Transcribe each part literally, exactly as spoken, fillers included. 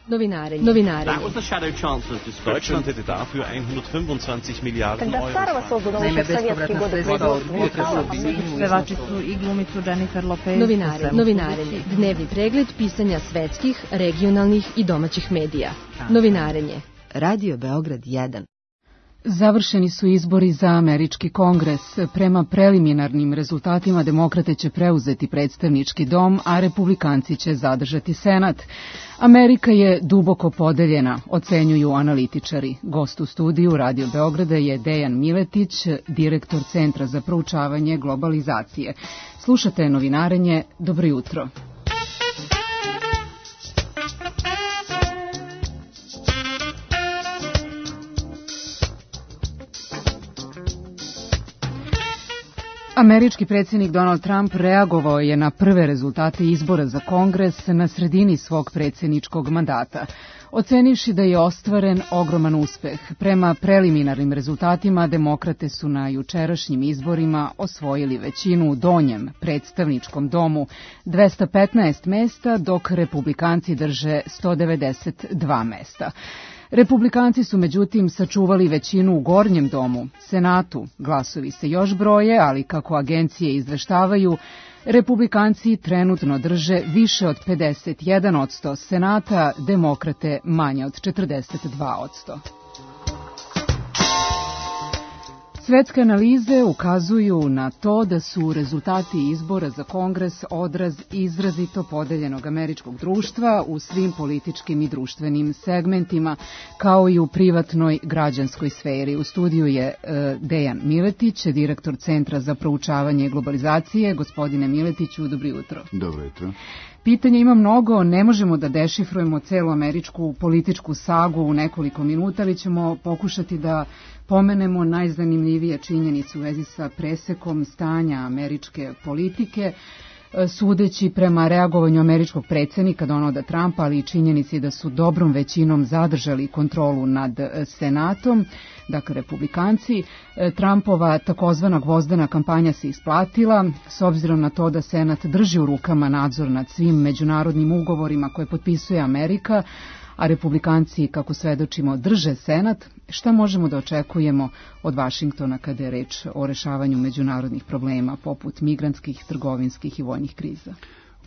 Novinarenje. Novinarenje. Deutschland hätte dafür hundertfünfundzwanzig Miliarden Euro. Naime, bespovratna sredstva od pevači su i glumicu Jennifer Lopez. Novinarenje. Novinarenje. Dnevni pregled pisanja svetskih, regionalnih i domaćih medija. Novinarenje. Radio Beograd jedan. Završeni su izbori za američki kongres. Prema preliminarnim rezultatima demokrate će preuzeti predstavnički dom, a republikanci će zadržati senat. Amerika je duboko podeljena, ocenjuju analitičari. Gost u studiju Radio Beograda je Dejan Miletić, direktor Centra za proučavanje globalizacije. Slušate Novinarenje, dobro jutro. Američki predsjednik Donald Trump reagovao je na prve rezultate izbora za Kongres na sredini svog predsjedničkog mandata, ocenivši da je ostvaren ogroman uspeh. Prema preliminarnim rezultatima, demokrate su na jučerašnjim izborima osvojili većinu u donjem predstavničkom domu, dvesta petnaest mesta, dok republikanci drže sto devedeset dva mesta. Republikanci su međutim sačuvali većinu u gornjem domu, Senatu. Glasovi se još broje, ali kako agencije izveštavaju, republikanci trenutno drže više od pedeset jedan posto Senata, demokrate manje od četrdeset dva posto. Svetske analize ukazuju na to da su rezultati izbora za Kongres odraz izrazito podeljenog američkog društva u svim političkim i društvenim segmentima, kao i u privatnoj građanskoj sferi. U studiju je e, Dejan Miletić, direktor Centra za proučavanje globalizacije. Gospodine Miletiću, dobro jutro. Dobro jutro. Pitanja ima mnogo, ne možemo da dešifrujemo celu američku političku sagu u nekoliko minuta, ali ćemo pokušati da pomenemo najzanimljivije činjenice u vezi sa presekom stanja američke politike, sudeći prema reagovanju američkog predsjednika Donalda Trumpa, ali i činjenici da su dobrom većinom zadržali kontrolu nad Senatom, dakle republikanci. Trumpova takozvana gvozdena kampanja se isplatila, s obzirom na to da Senat drži u rukama nadzor nad svim međunarodnim ugovorima koje potpisuje Amerika, a republikanci, kako svedočimo, drže Senat. Šta možemo da očekujemo od Vašingtona kada je reč o rešavanju međunarodnih problema poput migrantskih, trgovinskih i vojnih kriza?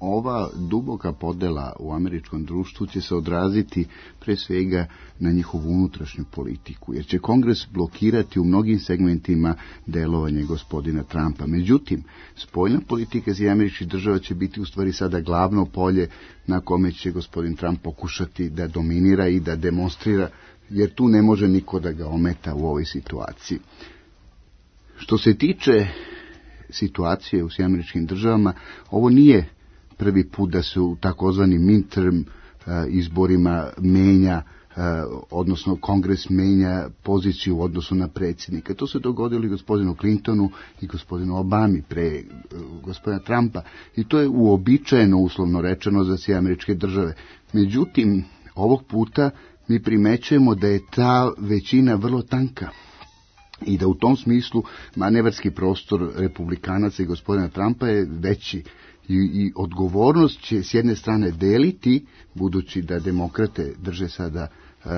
Ova duboka podela u američkom društvu će se odraziti pre svega na njihovu unutrašnju politiku, jer će Kongres blokirati u mnogim segmentima delovanje gospodina Trumpa. Međutim, spoljna politika iz američkih država će biti u stvari sada glavno polje na kome će gospodin Trump pokušati da dominira i da demonstrira, jer tu ne može niko da ga ometa u ovoj situaciji. Što se tiče situacije u američkim državama, ovo nije prvi put da se u takozvanim midterm uh, izborima menja, uh, odnosno Kongres menja poziciju u odnosu na predsjednika. To se dogodilo i gospodinu Clintonu i gospodinu Obami pre uh, gospodina Trumpa, i to je uobičajeno, uslovno rečeno, za sve američke države. Međutim, ovog puta mi primećujemo da je ta većina vrlo tanka i da u tom smislu manevarski prostor republikanaca i gospodina Trumpa je veći. I, i odgovornost će s jedne strane deliti, budući da demokrate drže sada e,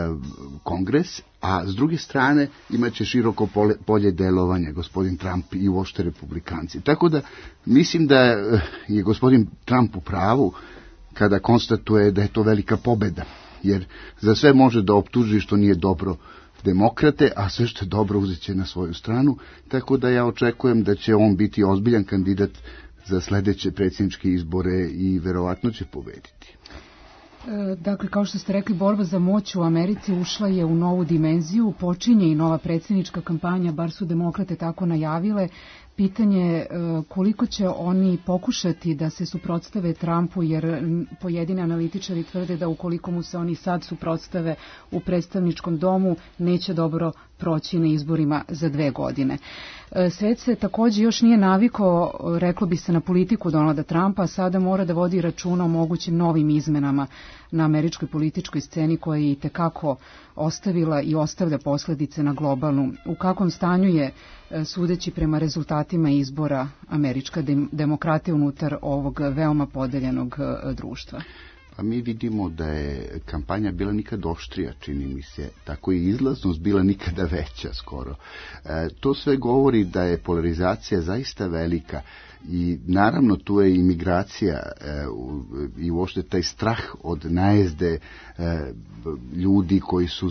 Kongres, a s druge strane imaće široko pole, polje delovanja gospodin Trump i uopšte republikanci. Tako da mislim da je gospodin Trump u pravu kada konstatuje da je to velika pobeda, jer za sve može da optuži što nije dobro demokrate, a sve što je dobro uzet će na svoju stranu, tako da ja očekujem da će on biti ozbiljan kandidat za sljedeće predsjedničke izbore i verovatno će pobediti. Dakle, kao što ste rekli, borba za moć u Americi ušla je u novu dimenziju, počinje i nova predsjednička kampanja, bar su demokrate tako najavile. Pitanje je koliko će oni pokušati da se suprotstave Trumpu, jer pojedini analitičari tvrde da ukoliko mu se oni sad suprotstave u predstavničkom domu, neće dobro proći na izborima za dve godine. Svet se također još nije navikao, reklo bi se, na politiku Donalda Trumpa, a sada mora da vodi računa o mogućim novim izmenama na američkoj političkoj sceni koja je itekako ostavila i ostavlja posljedice na globalnu. U kakvom stanju je, sudeći prema rezultatima izbora, američka demokratija unutar ovog veoma podeljenog društva? Pa mi vidimo da je kampanja bila nikad oštrija, čini mi se, tako i izlaznost bila nikada veća skoro. E, to sve govori da je polarizacija zaista velika i naravno tu je imigracija e, u, i uopšte taj strah od najezde e, ljudi koji su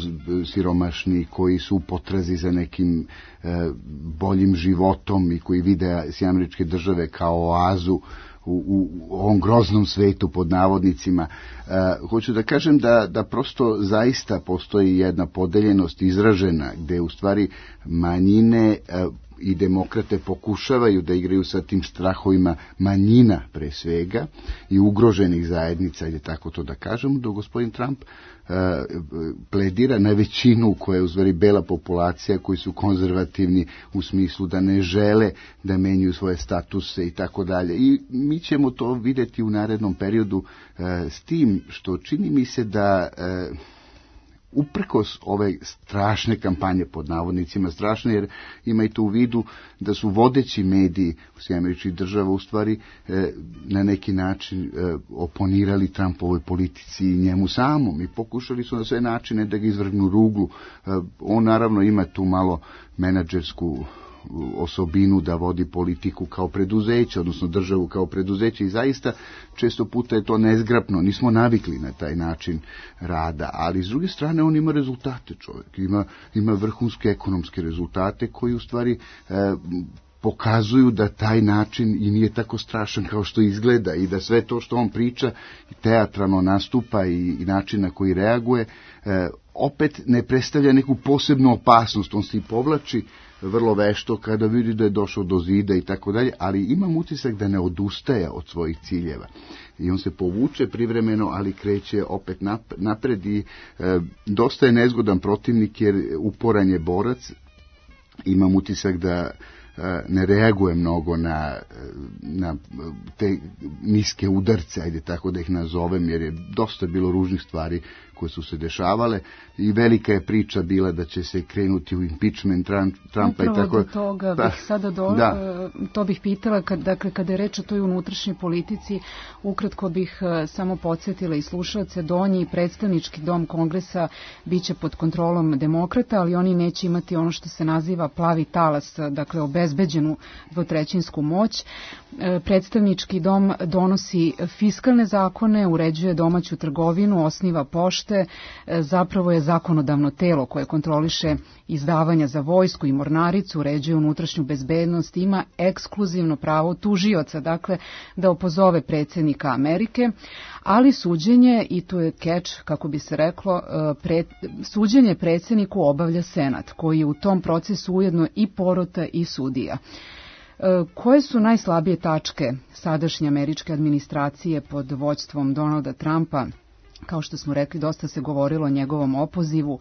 siromašni, koji su u potrazi za nekim e, boljim životom i koji vide Sjedinjene Američke Države kao oazu U, u ovom groznom svetu pod navodnicima. E, hoću da kažem da, da prosto zaista postoji jedna podeljenost izražena gde u stvari manjine e, i demokrate pokušavaju da igraju sa tim strahovima manjina pre svega i ugroženih zajednica, ili tako to da kažem, dok gospodin Trump uh, pledira na većinu koja je u stvari bela populacija, koji su konzervativni u smislu da ne žele da menjuju svoje statuse i tako dalje. I mi ćemo to videti u narednom periodu uh, s tim što čini mi se da uh, uprkos ove strašne kampanje, pod navodnicima strašne, jer imajte u vidu da su vodeći mediji u Sjedinjenih Američkih Država u stvari e, na neki način e, oponirali Trumpovoj politici i njemu samom i pokušali su na sve načine da ga izvrgnu ruglu. E, on naravno ima tu malo menadžersku osobinu da vodi politiku kao preduzeće, odnosno državu kao preduzeće i zaista često puta je to nezgrapno, nismo navikli na taj način rada, ali s druge strane on ima rezultate, čovjek, ima, ima vrhunske ekonomske rezultate koji u stvari e, pokazuju da taj način i nije tako strašan kao što izgleda i da sve to što on priča, teatralno nastupa i, i način na koji reaguje, e, opet ne predstavlja neku posebnu opasnost, on se i povlači vrlo vešto kada vidi da je došao do zida i tako dalje, ali imam utisak da ne odustaje od svojih ciljeva. I on se povuče privremeno, ali kreće opet napred i e, dosta je nezgodan protivnik jer uporan je borac. Imam utisak da ne reaguje mnogo na, na te niske udarce, ajde tako da ih nazovem, jer je dosta bilo ružnih stvari koje su se dešavale i velika je priča bila da će se krenuti u impeachment Trumpa Upravo i tako. do toga pa, bih sada do, da. to bih pitala, kad, dakle kada je reč o toj unutrašnjoj politici, ukratko bih samo podsjetila i slušalce, donji predstavnički dom Kongresa biće pod kontrolom demokrata, ali oni neće imati ono što se naziva plavi talas, dakle obezbeđenu dvotrećinsku moć. Predstavnički dom donosi fiskalne zakone, uređuje domaću trgovinu, osniva pošte, zapravo je zakonodavno telo koje kontroliše izdavanja za vojsku i mornaricu, uređuje unutrašnju bezbednost, ima ekskluzivno pravo tužioca, dakle da opozove predsjednika Amerike, ali suđenje, i tu je keč, kako bi se reklo, pre, suđenje predsjedniku obavlja Senat, koji je u tom procesu ujedno i porota i sudija. Koje su najslabije tačke sadašnje američke administracije pod vođstvom Donalda Trumpa? Kao što smo rekli, dosta se govorilo o njegovom opozivu.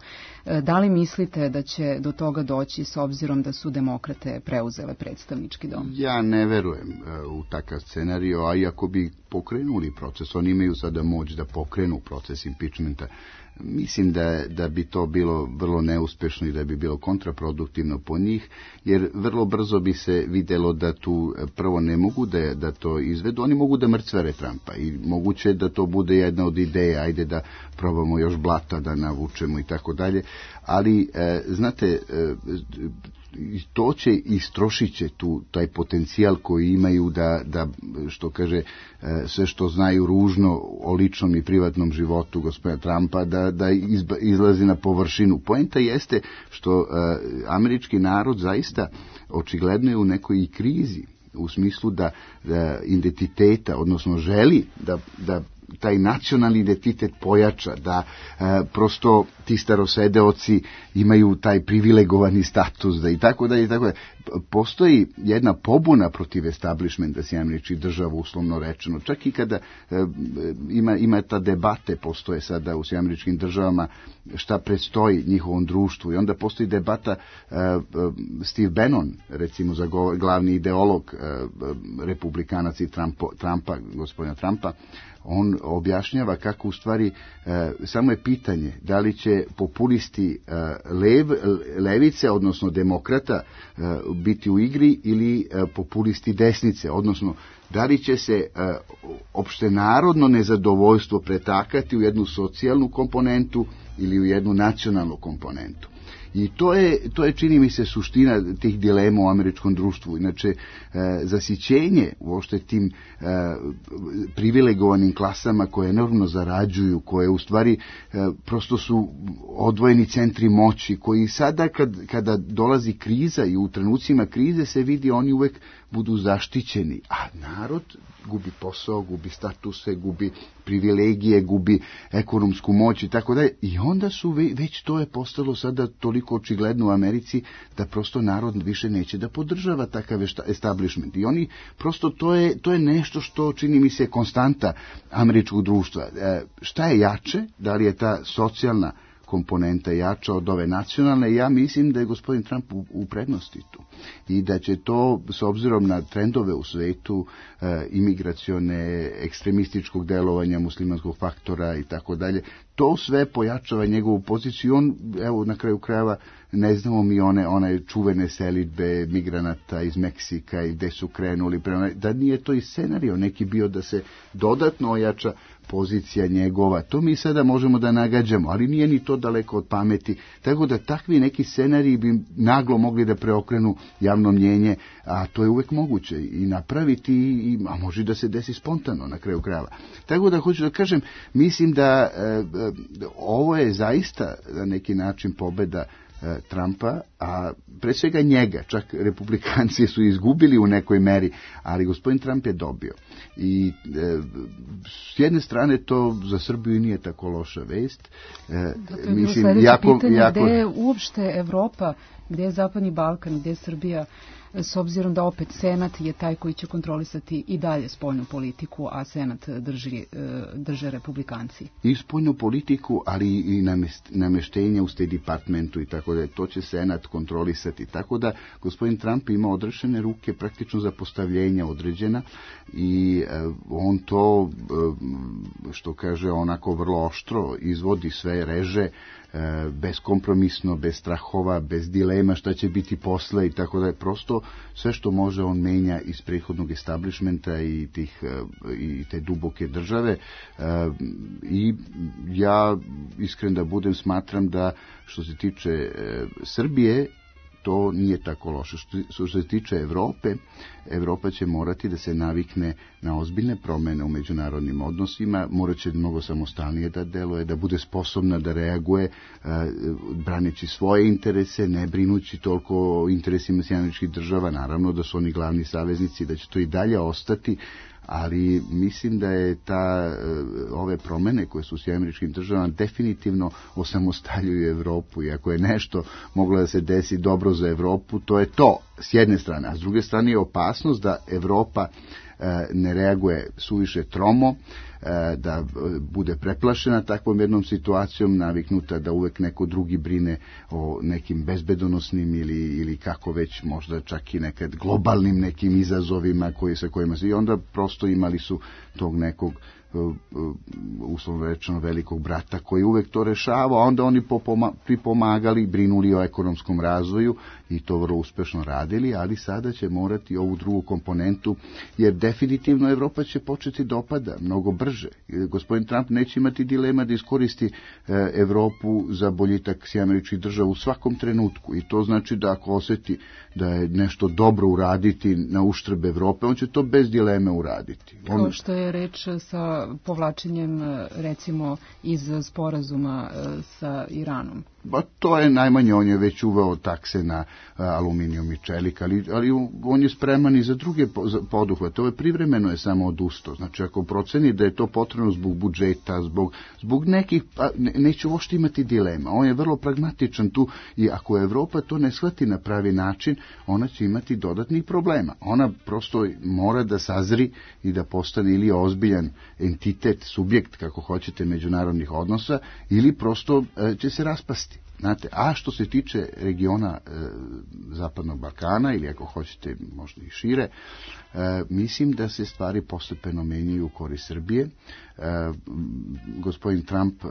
Da li mislite da će do toga doći s obzirom da su demokrate preuzele predstavnički dom? Ja ne verujem u takav scenario, a iako bi pokrenuli proces, oni imaju sada moć da pokrenu proces impeachmenta, mislim da, da bi to bilo vrlo neuspešno i da bi bilo kontraproduktivno po njih, jer vrlo brzo bi se videlo da tu prvo ne mogu da, da to izvedu, oni mogu da mrcvare Trumpa i moguće da to bude jedna od ideja, ajde da probamo još blata da navučemo i tako dalje, ali e, znate, e, to će i istrošit će tu taj potencijal koji imaju da, da što kaže, sve što znaju ružno o ličnom i privatnom životu gospodina Trumpa, da, da izba, izlazi na površinu. Poenta jeste što uh, američki narod zaista očigledno je u nekoj i krizi, u smislu da, da identiteta, odnosno želi da, da taj nacionalni identitet pojača, da e, prosto ti starosedeoci imaju taj privilegovani status, da i tako da i tako da. Postoji jedna pobuna protiv establishmenta Sjedinjenih Američkih Država, uslovno rečeno. Čak i kada e, ima, ima ta debate, postoje sada u Sjedinjenim Američkim Državama šta predstoji njihovom društvu. I onda postoji debata, e, Steve Bannon, recimo za glavni ideolog e, republikanac i Trumpo, Trumpa, gospodina Trumpa, on objašnjava kako u stvari e, samo je pitanje da li će populisti e, lev, levice, odnosno demokrata, e, biti u igri ili e, populisti desnice, odnosno da li će se e, opštenarodno nezadovoljstvo pretakati u jednu socijalnu komponentu ili u jednu nacionalnu komponentu. I to je, to je, čini mi se, suština tih dilema u američkom društvu. Inače, e, zasićenje uopšte tim e, privilegovanim klasama koje enormno zarađuju, koje u stvari e, prosto su odvojeni centri moći, koji sada kad, kada dolazi kriza i u trenucima krize se vidi, oni uvek budu zaštićeni, a narod gubi posao, gubi statuse, gubi privilegije, gubi ekonomsku moć i tako dalje. I onda su već to je postalo sada toliko očigledno u Americi da prosto narod više neće da podržava takav establishment. I oni prosto to je, to je nešto što čini mi se konstanta američkog društva. E, šta je jače? Da li je ta socijalna komponenta jača od ove nacionalne? Ja mislim da je gospodin Trump u, u prednosti tu i da će to, s obzirom na trendove u svetu, e, imigracione, ekstremističkog delovanja, muslimanskog faktora i tako dalje, to sve pojačava njegovu poziciju. On, evo, na kraju krajeva, ne znamo mi one, one čuvene selidbe migranata iz Meksika i gde su krenuli, prema, da nije to i scenario neki bio da se dodatno ojača pozicija njegova. To mi sada možemo da nagađamo, ali nije ni to daleko od pameti. Tako da takvi neki scenariji bi naglo mogli da preokrenu javno mnjenje, a to je uvek moguće i napraviti, i, a može da se desi spontano na kraju krajeva. Tako da hoću da kažem, mislim da e, e, ovo je zaista na neki način pobeda Trumpa, a pre svega njega, čak republikanci su izgubili u nekoj meri, ali gospodin Trump je dobio. I e, s jedne strane to za Srbiju nije tako loša vest. E, Zato je bilo sledeće jako, pitanje, jako... gde je uopšte Evropa, gde je Zapadni Balkan, gde je Srbija, s obzirom da opet Senat je taj koji će kontrolisati i dalje spoljnu politiku, a Senat drži, drže republikanci. I spoljnu politiku, ali i nameštenje u State Departmentu i tako da to će Senat kontrolisati. Tako da gospodin Trump ima odrešene ruke praktično za postavljenja određena i on to, što kaže, onako vrlo oštro izvodi, sve reže, bezkompromisno, bez strahova, bez dilema šta će biti posle i tako da je prosto sve što može on menja iz prethodnog establishmenta i, tih, i te duboke države. I ja iskren da budem smatram da što se tiče Srbije to nije tako loše. Što se tiče Evrope, Evropa će morati da se navikne na ozbiljne promene u međunarodnim odnosima, morat će mnogo samostalnije da deluje, da bude sposobna da reaguje, braneći svoje interese, ne brinući toliko o interesima Sjedinjenih Država, naravno da su oni glavni saveznici, da će to i dalje ostati, ali mislim da je ta, ove promene koje su u Sjedinjenim Državama definitivno osamostaljuju Evropu, i ako je nešto moglo da se desi dobro za Evropu, to je to, s jedne strane, a s druge strane je opasnost da Evropa ne reaguje suviše tromo, da bude preplašena takvom jednom situacijom, naviknuta da uvek neko drugi brine o nekim bezbedonosnim ili, ili kako već, možda čak i nekad globalnim nekim izazovima koji, sa kojima se, i onda prosto imali su tog nekog uslovno rečeno velikog brata koji uvek to rešava, a onda oni pripomagali, brinuli o ekonomskom razvoju i to vrlo uspešno radili, ali sada će morati ovu drugu komponentu, jer definitivno Evropa će početi da opada mnogo brže. Gospodin Trump neće imati dilema da iskoristi Evropu za boljitak Sjedinjenih Država u svakom trenutku, i to znači da ako osjeti da je nešto dobro uraditi na uštrb Evrope, on će to bez dileme uraditi. On... Kao što je reč sa povlačenjem, recimo, iz sporazuma sa Iranom. Ba, to je najmanje, on je već uveo takse na a, aluminijum i čelik, ali, ali on je spreman i za druge poduhvate. Ovo je privremeno je samo odustao. Znači, ako proceni da je to potrebno zbog budžeta, zbog, zbog nekih, pa, ne, neće uopšte imati dilema. On je vrlo pragmatičan tu, i ako Evropa to ne shvati na pravi način, ona će imati dodatnih problema. Ona prosto mora da sazri i da postane ili ozbiljan entitet, subjekt, kako hoćete, međunarodnih odnosa, ili prosto e, će se raspasti. Znate, a što se tiče regiona e, Zapadnog Balkana, ili ako hoćete možda i šire, e, mislim da se stvari postepeno menjaju u korist Srbije. E, gospodin Trump e,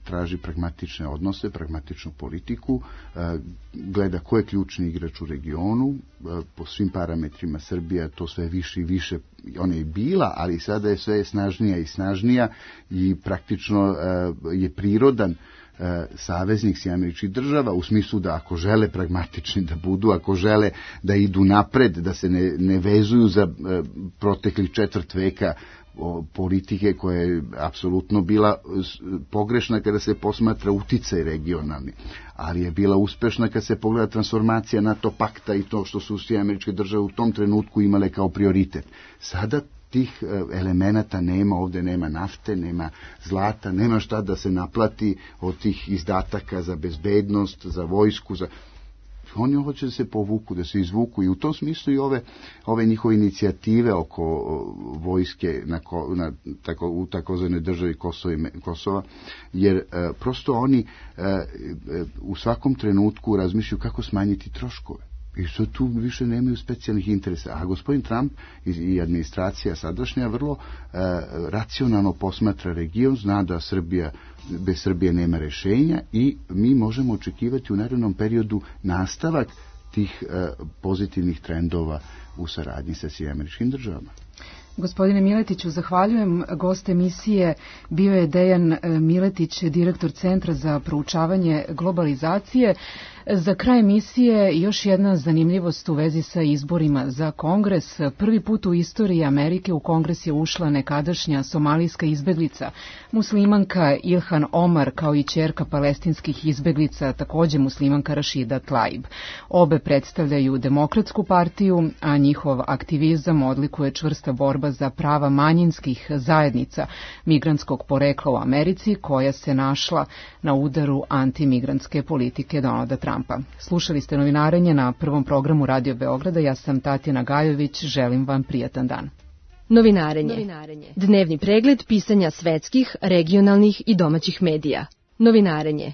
traži pragmatične odnose, pragmatičnu politiku, e, gleda ko je ključni igrač u regionu, e, po svim parametrima Srbija to sve više i više, ona je bila, ali sada je sve snažnija i snažnija i praktično e, je prirodan saveznik Sjedinjenih Američkih Država, u smislu da ako žele pragmatični da budu, ako žele da idu napred, da se ne, ne vezuju za e, proteklih četvrt veka o, politike koja je apsolutno bila pogrešna kada se posmatra uticaj regionalni, ali je bila uspešna kada se pogleda transformacija NATO pakta i to što su Sjedinjene Američke Države u tom trenutku imale kao prioritet. Sada tih elemenata nema, ovdje nema nafte, nema zlata, nema šta da se naplati od tih izdataka za bezbednost, za vojsku, za... Oni hoće da se povuku, da se izvuku i u tom smislu i ove, ove njihove inicijative oko vojske na, na, tako, u takozvanoj državi Kosova, Kosova jer e, prosto oni e, u svakom trenutku razmišljaju kako smanjiti troškove. I što tu više nemaju specijalnih interesa. A gospodin Trump i administracija sadašnja vrlo e, racionalno posmatra region, zna da Srbija, bez Srbije nema rešenja i mi možemo očekivati u narednom periodu nastavak tih e, pozitivnih trendova u saradnji sa Sjedinjenim Američkim Državama. Gospodine Miletiću, zahvaljujem. Gost emisije bio je Dejan Miletić, direktor Centra za proučavanje globalizacije. Za kraj emisije još jedna zanimljivost u vezi sa izborima za Kongres. Prvi put u istoriji Amerike u Kongres je ušla nekadašnja somalijska izbeglica, muslimanka Ilhan Omar, kao i ćerka palestinskih izbeglica, takođe muslimanka Rašida Tlaib. Obe predstavljaju Demokratsku partiju, a njihov aktivizam odlikuje čvrsta borba za prava manjinskih zajednica migrantskog porekla u Americi, koja se našla na udaru antimigrantske politike Donalda Trumpa. Slušali ste Novinarenje na Prvom programu Radio Beograda. Ja sam Tatjana Gajović. Želim vam prijatan dan. Novinarenje. Novinarenje. Dnevni pregled pisanja svetskih, regionalnih i domaćih medija. Novinarenje.